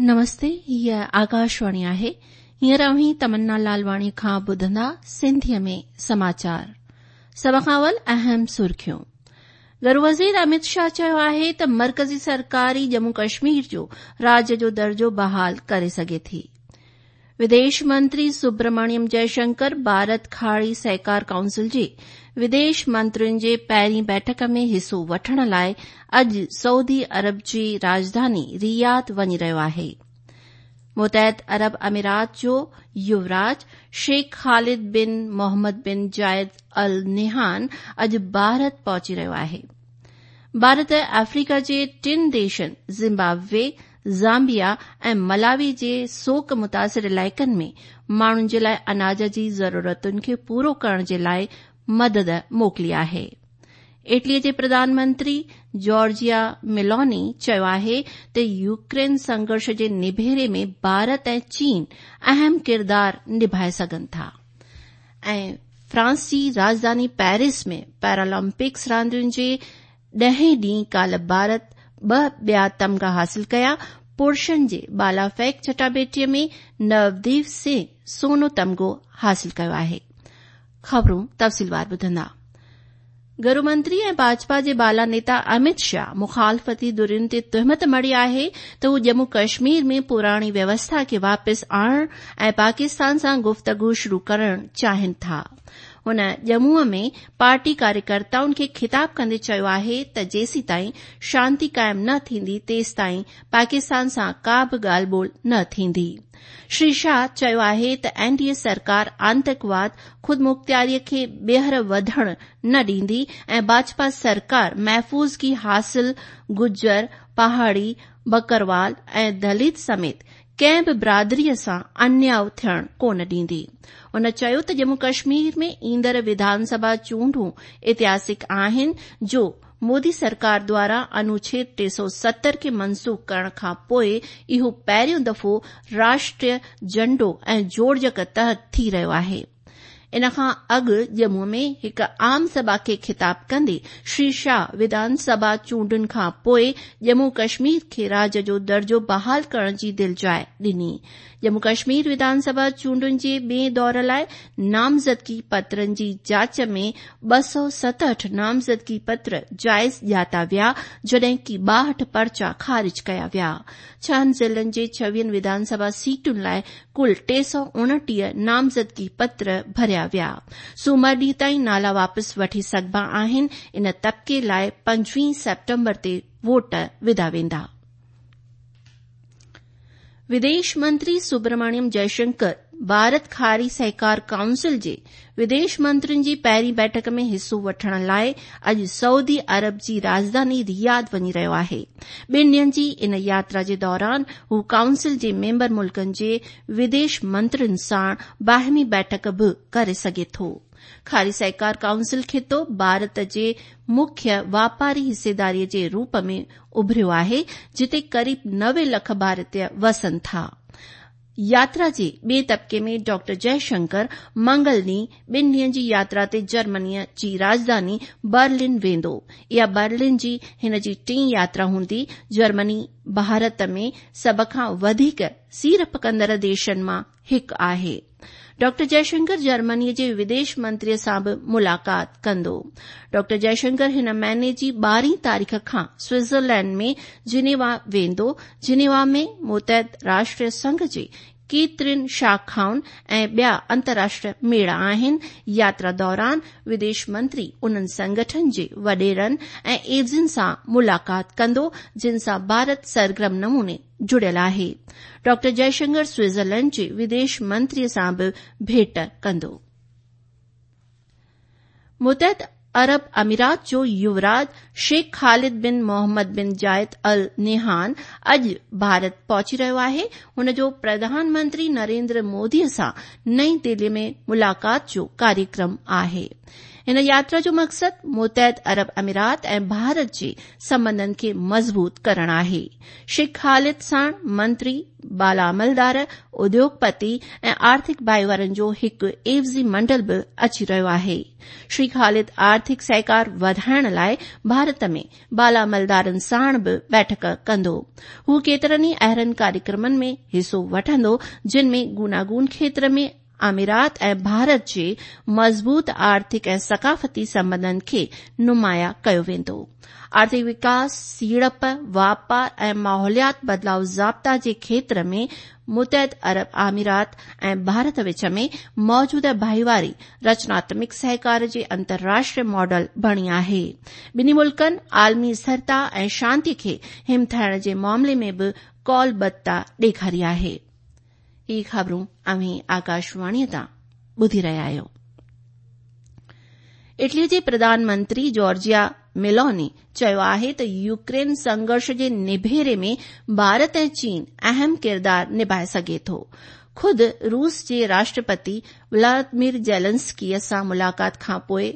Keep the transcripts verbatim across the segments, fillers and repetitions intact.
نمستي، هيء آڪاشواڻي آهي. هينئر اوهين تمنا لالواڻي کان ٻڌندا سنڌيء ۾ سماچار. سڀ کان اول اهم سرخيون. گهرو وزير امت شاهه چيو آهي ته مرڪزي سرڪار ئي ڄمون ڪشمير جو راجيه جو درجو بحال ڪري سگهي ٿي. وديش منتري سبرمڻيم جئشنڪر ڀارت کاڙي سهڪار ڪائونسل جي وديش منترين جي پهرين بيٺڪ ۾ حصو وٺڻ لاء اڄ سعودي عرب جي راڄڌاني رياض وڃي رهيو آهي. متحده عرب امارات جو يوراج شيخ خالد بن محمد بن زايد ال نهيان اڄ ڀارت پهچي رهيو آهي. ڀارت آفريڪا جي ٽن ديشن زمبابوي، زامبيا ۽ ملاوي جي سوڪ متاثر علائقن ۾ ماڻهن جي لاء اناج جي ضرورتن کي پورو ڪرڻ جي لاء مدد موڪلي آهي. اٽلي جي پرڌان منتري جارجيا ميلوني چيو آهي ته يوڪرين سنگهرش جي نبيري ۾ ڀارت ۽ چين اهم ڪردار نڀائي سگهن ٿا. ۽ فرانس جي راڄڌاني پيرس ۾ پيرالمپڪس راندين جي ڏهين ڏينهن ڪالهه ڀارت ٻه ٻيا تمغا حاصل ڪيا. پرشن جي بالا ڦيڪ چٽاڀيٽيء ۾ نوديپ سنگهه سونو تمغو حاصل ڪيو آهي. خبرون تفصيلوار ٻڌندا. گهرو منتري ۽ ڀاجپا جي بالا نيتا امت شاهه مخالفتي ڌرين تي تهمت مڙهي آهي ته هو ڄمون ڪشمير ۾ پراڻي ويوسٿا کي واپس آڻڻ ۽ پاڪستان سان گفتگو شروع ڪرڻ چاهين ٿا. هن ڄمونءَ ۾ پارٽي ڪاريڪرتائن کي خطاب ڪندي چيو آهي ته جيسيتائين شانتي قائم نه ٿيندي تيستائين پاڪستان سان ڪا به ڳالهه ٻولهه نه ٿيندي. شري شاهه چيو آهي ته اين ڊي اي سرڪار آتنڪواد، خودمختياريء کي ٻيهر وڌڻ نه ڏيندي ۽ ڀاجپا سرڪار محفوظگي حاصل گجر، پهاڙي، بڪروال ۽ دلت سميت ڪنهن به برادريء سان انياءُ ٿيڻ ڪونه ڏيندي. هن چيو ته ڄمون ڪشمير ۾ ايندڙ وڌان سڀا چونڊون اتهاسڪ آهن جو مودي سرڪار دواران انوڇيد ٽي سؤ ستر کي منسوخ ڪرڻ کان پوءِ اهو پهريون دفعو راشٽريه جهنڊو ۽ جوڙجڪ تحت ٿي رهيو آهي. ان کان اڳ ڄمون ۾ هڪ عام سڀا کي خطاب ڪندي شري شاهه وڌان سڀا چونڊن کان پوءِ ڄمون ڪشمير کي راجيه جو درجو بحال ڪرڻ جي دلجاءِ ڏني. ڄمون ڪشمير وڌان سڀا چونڊن جي ٻئي دور لاءِ نامزدگي پترن جي جاچ ۾ ٻه سؤ ستهٺ نامزدگي پتر جائز ڄاتا ويا، جڏهن ڪه ٻاهٺ پرچا خارج ڪيا ويا. ڇهن ضلعن جي ڇويهن وڌان سڀا سيٽن لاءِ ڪل ٽي سؤ اڻٽيهه نامزدگي پتر ڀريا ويا. سومر ڏينهن تائين نالا واپس وٺي سگهبا آهن. ان طبقي لاءِ پنجويهه سيپٽمبر تي ووٽ وڌا ويندا. وديش منتري سبرمڻيم جئشنڪر ڀارت کاري سهڪار ڪائونسل جي وديش منترين جي پهرين بيٺڪ ۾ حصو وٺڻ لاءِ اڄ سعودي عرب جي راڄڌاني رياض وڃي رهيو آهي. ٻن ڏينهن جي ان ياترا جي دوران هو ڪائونسل جي ميمبر ملڪن جي وديش منترين سان باهمي بيٺڪ به ڪري سگهي ٿو. کاري سهڪار ڪائونسل خطو ڀارت جي مکيه واپاري حصيداريءَ جي روپ ۾ اڀريو آهي، جتي قريب نوي لک ڀارتيه وسن ٿا. ياترا جي ٻئي طبقي ۾ ڊاڪٽر جئشنڪر منگل ڏينهن ٻن ڏينهن جي ياترا تي جرمنيءَ جي راڄڌاني برلن ويندو. اها برلن جي هن جي ٽين ياترا هوندي. جرمني ڀارت ۾ سڀ کان وڌيڪ سيڙپ ڪندڙ ديشن مان هڪ آهي. ڊاڪٽر جئشنڪر جرمنيءَ جي وديش منتريءَ سان به ملاقات ڪندو. ڊاڪٽر جئشنڪر هن مهيني جي ٻارهين تاريخ کان سوئٽزرلينڊ ۾ جنيوا ويندو. جنيوا ۾ متحده راشٽر سنگهه جي ڪيترين شاخائن ۽ ٻيا انترراشٽريه ميڙا آهن. ياترا دوران وديش منتري انهن سنگٺن جي وڏيرن ۽ عيوضين سان ملاقات ڪندو جن سان ڀارت سرگرم نموني جڙيل آهي. ڊاڪٽر جئشنڪر سوئٽزرلينڊ جي وديش منتريءَ سان به ڀيٽ ڪندو. متحده عرب امارات جو يوراج شيخ خالد بن محمد بن زايد ال نهيان اڄ ڀارت پهچي رهيو آهي. هن جو پرڌان منتري نريندر موديءَ سان نئين دليءَ ۾ ملاقات جو ڪاريڪرم آهي. हिन यात्रा जो मक़सदु मुतहद अरब अमीरात ऐं भारत जे संबंधनि खे मज़बूत करणु आहे। शेख ख़ालिद साण मंत्री, बाला अमलदार, उद्योगपति ऐं आर्थिक भाईवारनि जो हिकु एवज़ी मंडल बि अची रहियो आहे। श्री ख़ालिद आर्थिक सहकार वधाइण लाइ भारत में बाला अमलदारनि साण बि बैठक कंदो। हू केतिरनि ई अहिड़नि कार्यक्रमनि में हिसो वठंदो जिन में गूनागून क्षेत्र में अमीरात ऐं भारत जे मज़बूत आर्थिक ऐं सकाफ़ती संबंधनि खे नुमायां कयो वेंदो। आर्थिक विकास, सीड़प, वापार ऐं माहौलियात बदिलाव ज़ाब्ता जे क्षेत्र में मुतहद अरब अमीरात ऐं भारत विच में मौजूदा भाईवारी रचनात्मक सहकार जे अंतर्राष्ट्रीय मॉडल बणी आहे। ॿिन्ही मुल्कनि आलमी स्थिरता ऐं शांति खे हिमथाइण जे मामले में बि कौलबद्धता ॾेखारी आहे। ही ख़बरूं अव्हीं आकाशवाणीअ तां ॿुधी रहिया आहियो। इटलीअ जे प्रधानमंत्री जॉर्जिया मेलोनी चयो आहे त यूक्रेन संघर्ष जे निभेरे में भारत ऐं चीन अहम किरदार निभाए सघे थो। ख़ुदि रूस जे राष्ट्रपति व्लादिमीर ज़ेलेंस्कीअ सां मुलाक़ात खां पोइ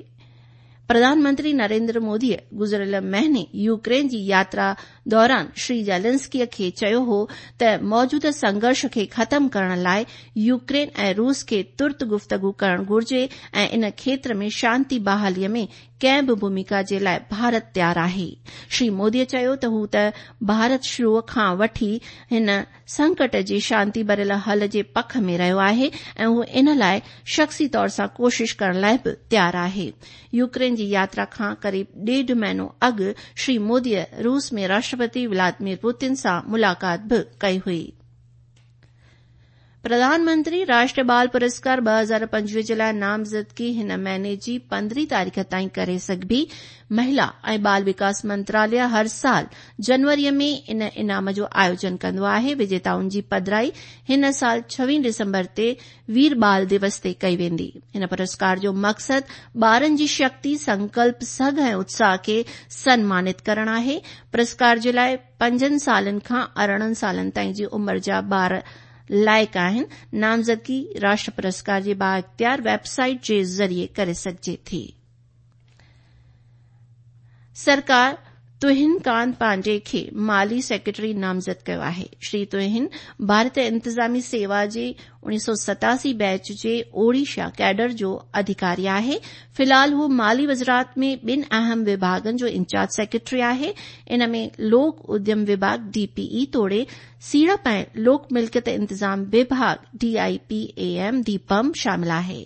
प्रधानमंत्री नरेंद्र मोदीअ गुज़िरियल महीने यूक्रेन जी यात्रा दौरान श्री ज़ेलेंस्कीअ खे चयो हो त मौजूदा संघर्ष खे ख़तम करण लाइ यूक्रेन ऐं रूस खे तुर्त गुफ़्तगू करणु घुर्जे ऐं इन क्षेत्र में शांति बहालीअ में कंहिं बि भूमिका जे लाइ भारत तयारु आहे। श्री मोदीअ चयो त हू त भारत शुरू खां वठी हिन संकट जे शांति भरियल हल जे पख में रहियो आहे ऐं हू इन लाइ शख़्सी तौर सां कोशिश करण लाइ बि तयारु आहे। यूक्रेन जी यात्रा खां क़रीब ॾेढ महीनो अॻु श्री मोदीअ रूस में राष्ट्रपति व्लादिमीर पुतिन सां मुलाक़ात बि कई हुई। प्रधानमंत्री राष्ट्रीय बाल पुरस्कार ॿ हज़ार पंजवीह जे लाइ नामज़दगी हिन महीने जी पंद्रहीं तारीख़ ताईं करे सघिबी। महिला ऐं बाल विकास मंत्रालय हर साल जनवरीअ में इन इनाम जो आयोजन कंदो आहे। विजेताउनि जी पधराई हिन साल छवीह दिसंबर ते वीर बाल दिवस ते कई वेंदी। हिन पुरस्कार जो मक़सदु ॿारनि जी शक्ति, संकल्प, सघ ऐं उत्साह खे सनमानित करणु आहे। पुरस्कार जे लाइ पंजनि सालनि खां अरिड़हं सालनि ताईं जी उमिरि जा ॿार लाइक़ आहिनि। नामज़दगी राष्ट्र पुरस्कार जे बाइख़्तियार वेबसाइट जे ज़रिए करे सघिजे थी। सरकार तुहिन कांत पांडे खे माली सेक्रेटरी नामज़द कयो आहे। श्री तुहिन भारतीय इंतिज़ामी सेवा जे उणिवीह सौ सतासी बैच जे ओडिशा कैडर जो अधिकारी आहे। फ़िलहाल हू माली वज़ारत में ॿिनि अहम विभागनि जो इंचार्ज सेक्रेटरी आहे। इन में लोक उद्यम विभाग डी पी ई तोड़े सीड़प ऐं लोक मिल्कियत इंतिज़ाम विभाग D I P A M Deepam शामिल आहे।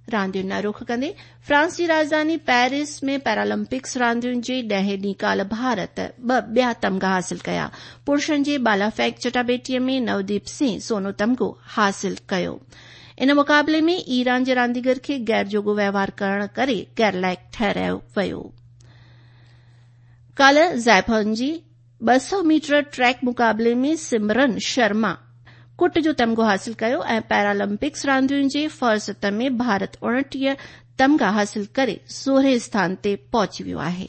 रांदियुनि ॾांहुं रुख कंदे फ्रांस जी राजधानी पेरिस में पैरालंपिक्स रांदियुनि जे ॾहें ॾींहुं काल्ह भारत ॿ ॿिया तमगा हासिल कया। पुरुषनि जे बाला फेंक चटाबेटीअ में नवदीप सिंह सोनो तमगो हासिल कयो। इन मुक़ाबले में ईरान जे रांदीगर खे गैर जोॻो वहिंवार करण करे गैर लाइक़ ठहिरायो वियो। काल्ह ज़ाइफन जी ॿ सौ मीटर ट्रैक मुक़ाबले में सिमरन शर्मा कुट जो तमगो हासिल कयो ऐं पैरालंपिक्स रांदियुनि जे फहरिस्त में भारत उणिटीह तमगा हासिल करे सोरहें स्थान ते पहुची वियो आहे।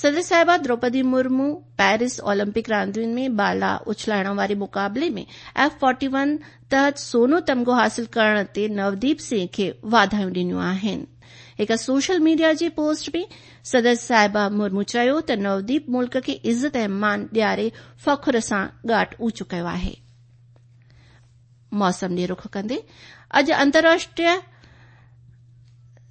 सदर साहिबा द्रौपदी मुर्मू पेरिस ओलंपिक रांदियुनि में बाला उछलाइण वारे मुक़ाबले में एफ फोर्टी वन तहत सोनो तमगो हासिल करण ते नवदीप सिंह खे वाधायूं ॾिनियूं आहिनि। हिक सोशल मीडिया जे पोस्ट में सदर साहिबा मुर्मू चयो त नवदीप मुल्क खे इज़त ऐं मान ॾियारे फ़ख्र सां ॻाट ऊंचो कयो आहे। मौसम ॾे रुख कंदे अॼु अंतर्राष्ट्रीय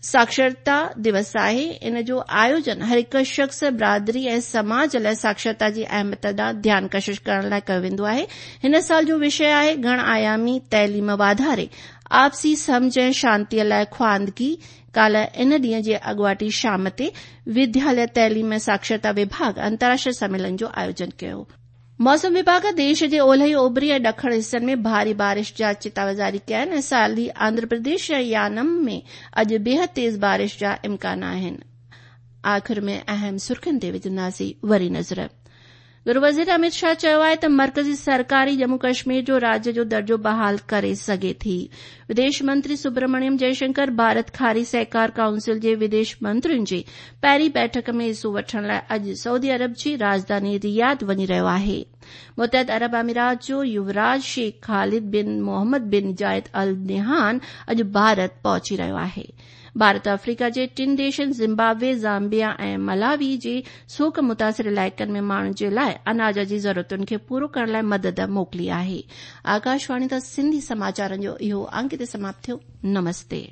साक्षरता दिवस आहे। इन जो आयोजन हर हिकु शख़्स, बिरादरी ऐं समाज लाइ साक्षरता जी अहमियत ॾांहुं ध्यान कशिश करण लाइ कयो वेंदो आहे। हिन साल जो विषय आहे घण आयामी तइलीम वाधारे आपसी सम्झ ऐं शांतीअ लाइ ख्वांदगी। काल्ह इन ॾींहं जे अॻुवाटी शाम ते विद्यालय तइलीम ऐं साक्षरता विभाग अंतर्राष्ट्रीय सम्मेलन जो आयोजन कयो। मौसम विभाग देश जे ओलह, ओभरी ऐं ॾखण हिसनि में भारी बारिश जा चेताव जारी कया आहिनि ऐं साली आंध्र प्रदेश ऐं यानम में अॼु बेहद तेज़ बारिश जा इम्कान आहिनि। आख़िर में अहम सुर्खियुनि ते विझंदासीं वरी नज़र। गृह वज़ीर अमित शाह चयो आहे त मर्कज़ी सरकार ई जम्मू कश्मीर जो राज्य जो दर्जो बहाल करे सघे थी। विदेश मंत्री सुब्रमण्यम जयशंकर भारत खारी सहकार काउंसिल जे विदेश मंत्रियुनि जी पहिरीं बैठक में हिसो वठण लाइ अॼु सऊदी अरब जी राजधानी रियाद वञी रहियो आहे। متحده عرب امارات جو يوراج شيخ خالد بن محمد بن زايد ال نهيان اڄ ڀارت پهچي رهيو آهي. ڀارت آفريڪا جي ٽن ديشن زمبابوي، زامبيا ۽ ملاوي جي سوڪ متاثر علائقن ۾ ماڻهن جي لاء اناج جي ضرورتن کي پورو ڪرڻ لاء مدد موڪلي آهي. آڪاشواڻي تان سنڌي سماچارن جو اهو انڪ هتي سماپت ٿيو. نمستي.